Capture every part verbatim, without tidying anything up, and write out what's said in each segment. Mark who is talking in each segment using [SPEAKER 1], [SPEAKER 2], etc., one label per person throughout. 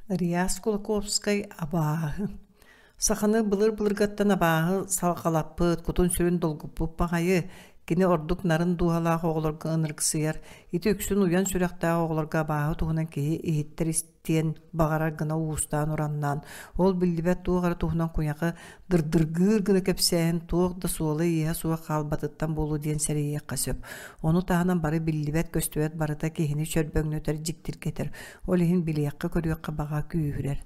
[SPEAKER 1] Реас Кулаковскай абааһы. Саханы былыр-былыргаттан абааһы салҕалаппыт, кутун-сүрүн долгуппут баҕайы. Кини ордук нарын дууһалаах оҕолорго ынырыксыйар. Ити үксүн уйан сүрэхтээх оҕолорго абааһы туһунан киһи иһиттэр истиэн баҕарар гына уустаан-ураннаан, ол биллибэт туох эрэ туһунан куйаҕы дырдыргыыр гына кэпсээһин туох да суола-ииһэ суох хаалбатыттан буолуо диэн сэрэйиэххэ сөп. Ону таһынан бары биллибэт-көстүбэт барыта киһини чөрбөҥнөтөр, дьиктиргэтэр. Ол иһин билиэххэ-көрүөххэ баҕа күүһүрэр.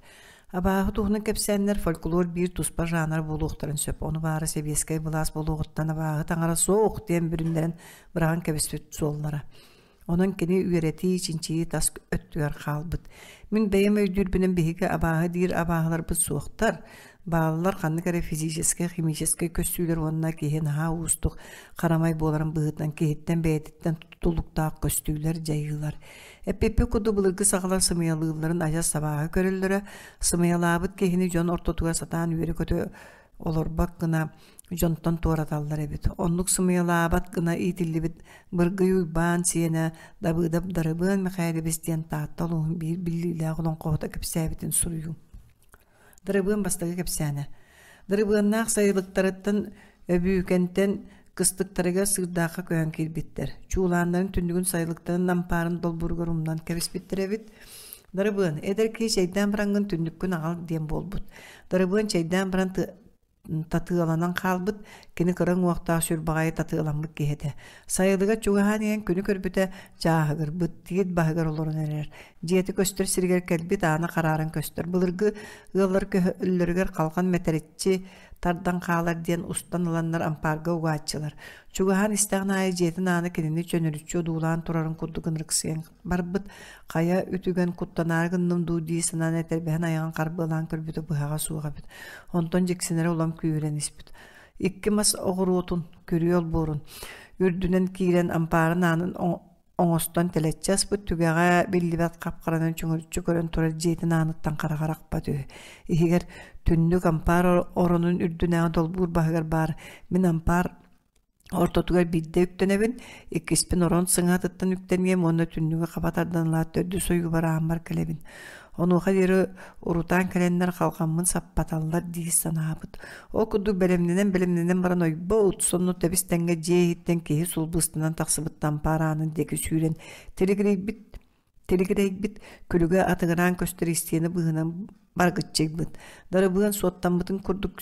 [SPEAKER 1] Абааһы туһунан кэпсээннэр фольклор биир туспа жанр буолуохтарын сөп. Ону баара сэбиэскэй былаас буолуоҕуттан абааһы таҥара суох диэн бүрүннэрэн быраҕан кэбиспит суоллара. Онон кини үөрэтии, чинчийии тас өттүгэр хаалбыт. Мин бэйэм өйдүүрбүнэн биһиги абааһы диир абааһыларбыт суохтар. Бааллар ханнык эрэ физическэй, химическэй көстүүлэр уонна киһи наһаа уустук харамай буоларын быһыытынан киһиттэн бэйэтиттэн тутулуктаах көстүүлэр, дьайыылар. Эппиппит курдук былыргы сахалар сымыйалыылларын адьас абааһы көрөллөрө, сымыйалаабыт киһини дьон ортотугар сатаан үөрэ-көтө олорбот гына дьонтон туораталлар эбит. Оннук сымыйалаабат гына иитиллибит Быргый Уйбаан сиэнэ Дабыыдап Дарыбыан Михайлович диэн Таатта улууһун биир биллиилээх олоҥхоһута кэпсээбитин суруйуу. Дарыбыан бастакы кэпсээнэ. Дарыбыаннаах сайылыктарыттан Өбүүкэнтэн кыстыктарыгар Сыырдаахха көһөн киирбиттэр. Чуулааннарын түннүгүн сайылыктарын ампаарын долбууругар умнан кэбиспиттэр эбит. Дарыбыан, эдэр киһи чэйдээн бараҥҥын түннүккүн аҕал диэн буолбут. Дарыбыан чэйдээн баран татыаланан хаалбыт, кини кыра уҥуохтаах сүр баҕайы татыаламмыт киһи этэ. Сайылыга чугаһаан иһэн күнү көрбүтэ чааһыгырбыт, тиит баһыгар олорон эрэр. Дьиэтэ көстөр сиригэр кэлбит аана харааран көстөр. Былыргы ыаллар көһөллөрүгэр халҕан мэтэриччи тардан хаалар диэн устан ыланнар ампаарга угааччылар. Чугаһаан истэҕин аайы дьиэтин аана кинини чөнөрүччү одуулаан турарын курдук ынырыксыйан барбыт. Хайа үтүгэн куттанаары гынным дуу дии санаан этэрбэһин айаҕын харбыалаан көрбүтэ быһаҕа суох эбит. Онтон дьиксинэрэ улам күүһүрэн испит. Икки мас оҕуруотун, күрүө олбуорун үрдүнэн киирэн ампаарын аанын оҥостон тэлэччи аспыт түгэҕэ биллибэт хап-харанан чөҥөрүччү көрөн турар дьиэтин ааныттан хараҕа арахпат үһү. Иһигэр түннүк ампаар оронун үрдүнээҕи долбуур баһыгар баар мин ампаар ортотугар биирдэ үктэнэбин, иккиспин орон сыҥаатыттан үктэниэм уонна түннүгү хаба тардан ылаат төрдүс ойуубар ааммар кэлэбин. Онуоха диэри урутаан кэлэннэр халҕаммын саппаталлар дии санаабыт. Ол курдук бэлэмнэнэн-бэлэмнэнэн баран ойбо ут сонно тэбис-тэҥҥэ дьиэ иһиттэн киһи сулбустанан тахсыбыт ампаар аанын диэки сүүрэн тилигирэйбит тилигирэйбит күлүгэ атыгыраан көстөр истиэнэ быыһынан баргыччыйбыт. Дарыбыан суоттаммытын курдук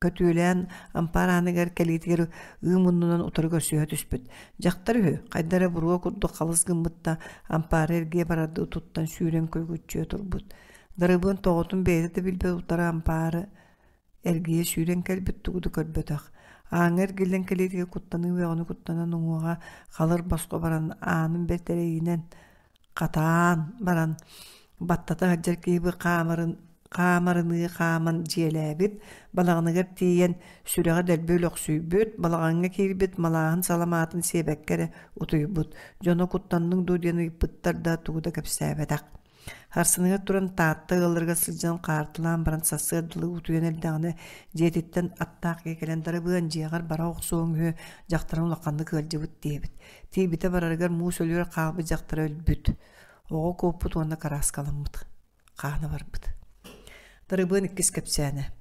[SPEAKER 1] көтүөлээн ампаар ааныгар кэлиитигэр ыы муннунан утары көрсүһэ түспүт. Дьахтар үһү, хайда эрэ буруо курдук халыс гыммыт да, ампаары эргийэ барардыы туттан сүүрэн көлгүччүйэ турбут. Дарыбыан тоҕотун бэйэтэ да билбэт утары ампаары эргийэ сүүрэн кэлбит тугу да көрбөтөх. Ааҥҥа эргиллэн кэлиитигэр куттаныы үөҕүнү куттанан уҥуоҕа халыр босхо баран аанын бэрт эрэйинэн хатаан баран баттата сылдьар киһи хаамарын хаамарыныы хааман дьиэлээбит, балаҕаныгар тиийэн сүрэҕэ дэлби өлөхсүйбүт, балаҕаҥҥа киирбит малааһын саламаатын сиэбэккэ эрэ утуйбут. Дьоно куттанныҥ дуу диэн ыйыппыттар да тугу да кэпсээбэтэх. Харсыныгар туран Таатта ыалларыгар сылдьан хаартылаан баран сарсыардалыы утуйан эрдэҕинэ дьиэтиттэн аттаах киһи кэлэн Дарыбыан дьиэҕэр бара охсуоҥ үһү, дьахтарым улаханнык ыалдьыбыт диэбит. Тиийбитэ барарыгар муус өлүөр хаалбыт дьахтара өлбүт. Оҕо куоппут уонна кырааскаламмыт. Хаана барбыт. Дарыбыан иккис кэпсээнэ.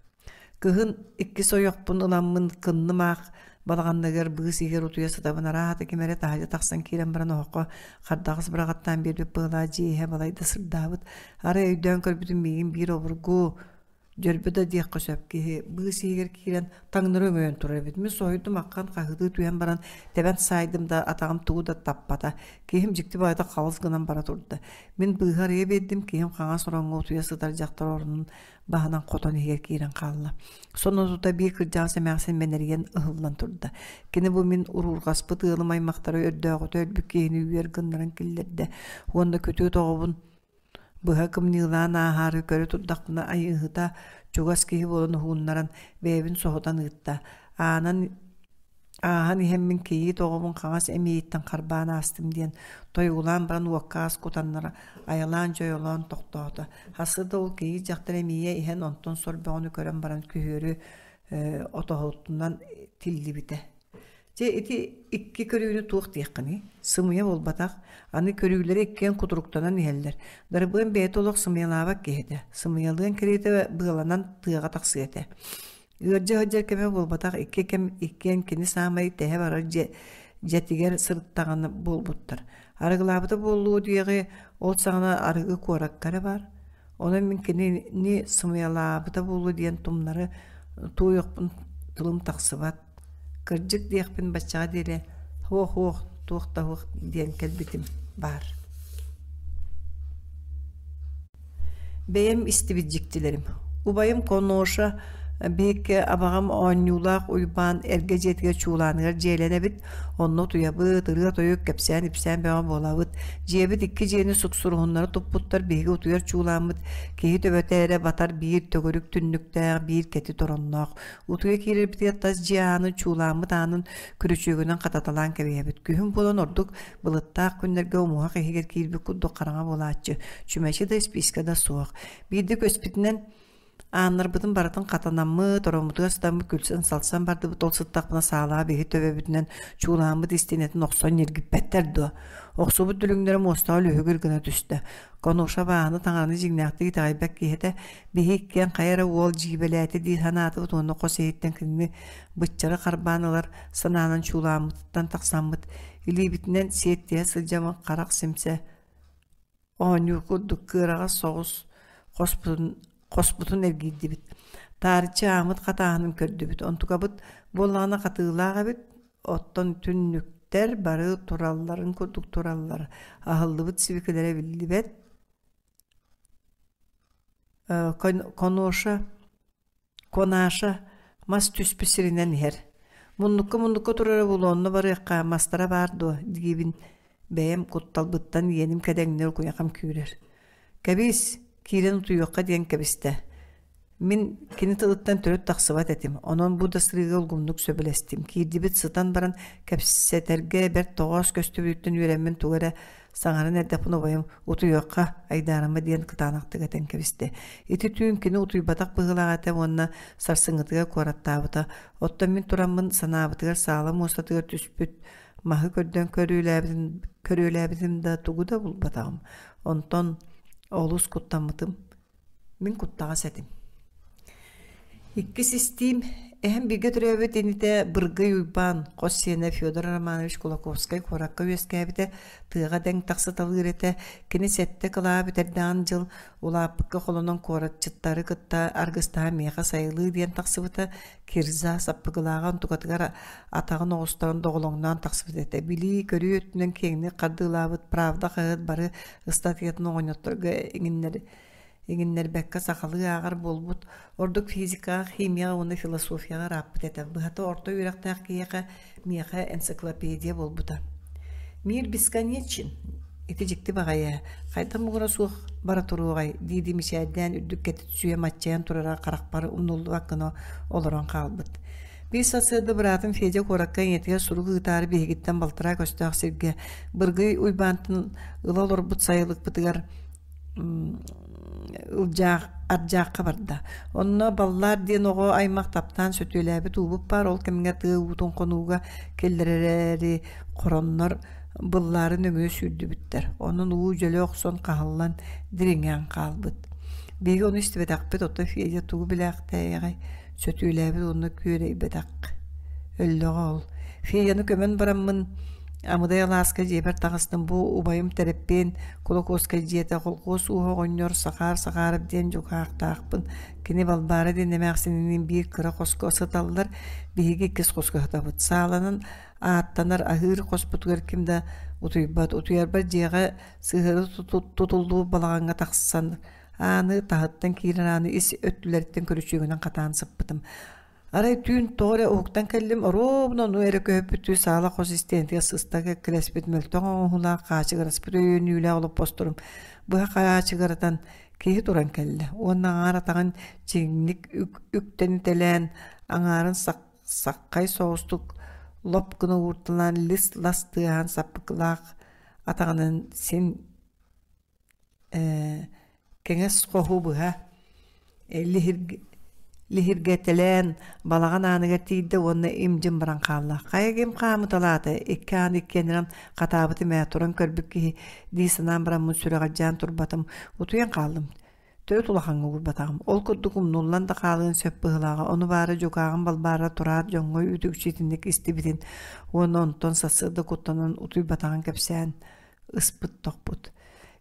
[SPEAKER 1] Кыһын иккис ойохпун ыламмын кынным аах балаҕанныгар быыс иһигэр утуйа сытабын арааһата ким эрэ таһырдьа тахсан киирэн баран оһоххо хардаҕас быраҕаттаан биэрбит быһалаах дьиэ иһэ балайда сырдаабыт. Арай өйдөөн көрбүтүм миигин биир обургу дьөрбө да диэххэ сөп киһи быыс иһигэр киирэн таҥнары өҥөйөн турар эбит. Мин соһуйдум аххан хаһыытыы түһэн баран тэбэн саайдым да атаҕым тугу да таппата. Киһим дьикти баҕайытык халыс гынан бара турда. Мин быыһы арыйа биэрдим, киһим хаҥас ороҥҥо утуйа сытар дьахтар оронун баһынан хотон иһигэр киирэн хаалла. Сонно тута биир кырдьаҕас эмээхсин мэнэрийэн ыһыллан турда. Кини бу мин уруурҕаспыт ыалым аймахтара өрдөөҕүтэ өлбүт киһини үөр гыннаран киллэрдэ уонна күтүөт оҕобун быһа кымньыылаан ааһаары көрө турдахпына айыыһыта чугас киһи буолан уһууннаран бэйэбин соһутан ыытта. Аанан ааһан иһэммин кийиит оҕобун хаҥас эмиийиттэн харбаан аастым диэн тойуулаан баран уокка аас кутаннара айалаан дьойолоон тохтоото. Хасыда ол кийиит дьахтар эмиийэ иһэн онтон сор бөҕөнү көрөн баран күһүөрү э, отоһутунан тиллибитэ. Дьэ ити икки көрүүнү туох диэххиний? Сымыйа буолбатах. Аны көрүүлэри иккиэн кутуруктанан иһэллэр. Дарыбыан бэйэтэ олох сымыйалаабат киһи этэ. Сымыйалыан кэриэтэ быаланан тыаҕа тахсыа этэ. Ыалдьа сылдьар кэмэ буолбатах, икки кэм иккиэн кини саамай тэһэ барар дьиэ дьиэтигэр сырыттаҕына буолбуттар. Арыгылаабыта буолуо диэҕи, ол саҕана арыгы куоракка эрэ баар. Онон мин кинини сымыйалаабыта буолуо диэн тумнары туойуохпун тылым тахсыбат. Кырдьык диэхпин баччаҕа диэри «Һуох-һуох, туох да һуох» диэн кэлбитим баар. Бэйэм истибит дьиктилэрим. Убайым Коноша биһикки абаҕам оонньуулаах Уйбаан эргэ дьиэтигэр чуулааныгар дьиэлэнэбит, онно утуйабыт, ырыа-тойук, кэпсээн-ипсээн бөҕө буолабыт. Дьиэбит икки дьиэни суксуруһуннара туппуттар, биһиги утуйар чуулааммыт киһи төбөтө эрэ батар биир төгүрүк түннүктээх, биир кэтит оронноох. Утуйа киирэрбитигэр тас дьиэ аанын, чуулааммыт аанын күрүчүөгүнэн хататалаан кэбиһэбит. Күһүн буолан ордук былыттаах күннэргэ умуһах иһигэр киирбит курдук хараҥа буолааччы, чүмэчи да испиискэ да суох. Биирдэ көспүтүнэн ааннарбытын барытын хатанаммыт, ороммутугар сытаммыт күлсэн-салсан бардыбыт, ол сыттахпына саалаҕа биһи төбөбүтүнэн чуулааммыт истиэнэтин охсон ньиргиппэттэр дуо? Охсубут дүлүҥнэрэ муостаҕа лүһүгүр гына түстэ. Конуша бааһына таҥараны дьиҥнээхтик итэҕэйбэт киһи этэ, биһи иккиэн хайа эрэ уол дьиибэлээтэ дии санаатыбыт уонна хос иһиттэн кинини быччары харбаан ылар санаанан чуулааммытыттан тахсаммыт, илиибитинэн сиэттиһэ сылдьаммыт харах симсэ оонньуур курдук кыараҕас соҕус хоспутун, хоспутун эргийдибит. Таарыччы ааммыт хатааһынын көрдүбүт. Онтукабыт буоллаҕына хатыылаах эбит, оттон түннүктэр бары туралларын курдук тураллар. Аһыллыбыт сибикилэрэ биллибэт. Коноша, Конаша мас түспүт сиринэн иһэр. Муннукка-муннукка турара буолуо, онно барыахха, мастара баар дуо диибин бэйэм кутталбыттан иэним кэдэҥнэр куйахам күүрэр. Кэбис, киирэн утуйуохха диэн кэбистэ. Мин кини тылыттан төрүт тахсыбат этим, онон бу да сырыыга улгумнук сөбүлэстим. Киирдибит сытан баран кэпсэтэргэ бэрт тоҕоос көстүбүтүттэн үөрэммин тугу эрэ саҥаран эрдэхпинэ убайым «Утуйуохха, айдаарыма» диэн кытаанахтык этэн кэбистэ. Ити түүн кини утуйбатах быһыылаах этэ уонна сарсыҥҥытыгар куораттаабыта. Оттон мин тураммын санаабытыгар саала муостатыгар түспүт маһы көрдөөн көрүөлээбитим, көрүөлээбитим да тугу да булбатаҕым. Онтон олус куттаммытым. Мин куттаҕас этим. Иккис истиим эһэм бииргэ төрөөбүт инитэ Быргый Уйбаан, хос сиэнэ Федор Романович Кулаковскай куоракка үөскээбитэ, тыаҕа дэҥ тахсыталыыр этэ. Кини сэттэ кылаа бүтэрдэҕин дьыл улааппыкка холонон куоратчыттары кытта аргыстаһан миэхэ сайылыы диэн тахсыбыта. Кирза саппыкылааҕа онтукатыгар атаҕын оҕустаран доҕолоҥноон тахсыбыт этэ. Билии-көрүү өттүнэн киэҥник хардыылаабыт «Правда» хаһыат бары ыстатыйатын оҕонньотторго иҥиннэр иҥиннэрбэккэ сахалыы ааҕар буолбут, ордук физикаҕа, химияҕа уонна философияҕа ырааппыт этэ. Быһата орто үөрэхтээх киһиэхэ миэхэ энциклопедия буолбута. «Мир бесконечен» ити дьикти баҕайы, хайдах муҥура суох бара туруоҕай дии-дии мичээрдээн үрдүк кэтит сүүйэ маччайан турара харахпар умнуллубат гына олорон хаалбыт. Биир сарсыарда быраатым Федя куоракка ийэтигэр сурук ыытаары биһигиттэн балтараа көстөөх сиргэ Быргый Уйбаантан ыла олорбут сайылыкпытыгар Ылдьаах Ардьаахха барда. Онно Баллаар диэн оҕо аймах таптаан сөтүөлээбит уубут баар, ол кэмҥэ тыа уутун хонууга киллэрэри хороннор быллаары нөҥүө сүүрдүбүттэр. Онон уу дьөлө охсон хаһыллан дириҥээн хаалбыт. Биһиги ону истибэтэхпит, оттон Федя тугу билээхтээйэҕэй, сөтүөлээбит уонна күөрэйбэтэх. Өллөҕө ол. Федяны көмөн бараммын Амыдай алааска дьиэбэр таҕыстым, бу убайым Тэрэппиэн Кулаковскай дьиэтэ, холкуос ууһа оҕонньор Сахаар Сахаарап диэн дьукаахтаахпын. Кини Балбаара диэн эмээхсининиин биир кыра хоско сыталлар, биһиги иккис хоско сытабыт. Сааланан ааттанар аһыыр хоспутугар ким да утуйбат. Утуйарбар дьиэҕэ сыһыары тутуллубут балаҕаҥҥа тахсан ааны таһыттан киирэр ааны ис өттүлэриттэн көрүчүөгүнэн хатаан сыппытым. Арай түүн тоҕо эрэ уһуктан кэллим, оруобуна ону эрэ көһүппүттүү саала хос истиэнэтигэр сыста кэккэлэспит мөлтөх оҥоһуулаах хаачыгыраспыт өйөнүүлээх олоппосторум быһа хаачыгыратан киһи туран кэллэ уонна аҥаар атаҕын чиҥник үктэнитэлээн аҥаарын саххай соҕустук лоп гына уурталаан лис-лас тыаһаан саппыкылаах атаҕынан син кэҥэс хоһу быһа Лиһиргэтэлээн балаҕан ааныгар тиийдэ уонна им-дьим баран хаалла. Хайа ким хаамыталаата, икки аан иккиэннэрин хатаабытым ээ, туран көрбүт киһи дии санаан бараммын сүрэҕэлдьээн турбатым, утуйан хааллым. Төрүт улахаҥҥа уурбатаҕым. Ол курдук умнуллан да хаалыан сөп быһыылааҕа. Ону баара дьукааҕым Балбаара тураат дьоҥҥо үүт-үкчү итинник истибитин уонна онтон сарсыарда куттанан утуйбатаҕын кэпсээн ыспыт-тохпут.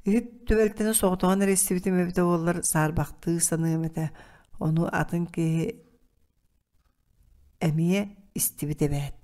[SPEAKER 1] Ити түбэлтэни соҕотоҕун эрэ истибитим эбитэ буоллар саарбахтыы саныам этэ. Ону атын киһи эмиэ истибит эбээт.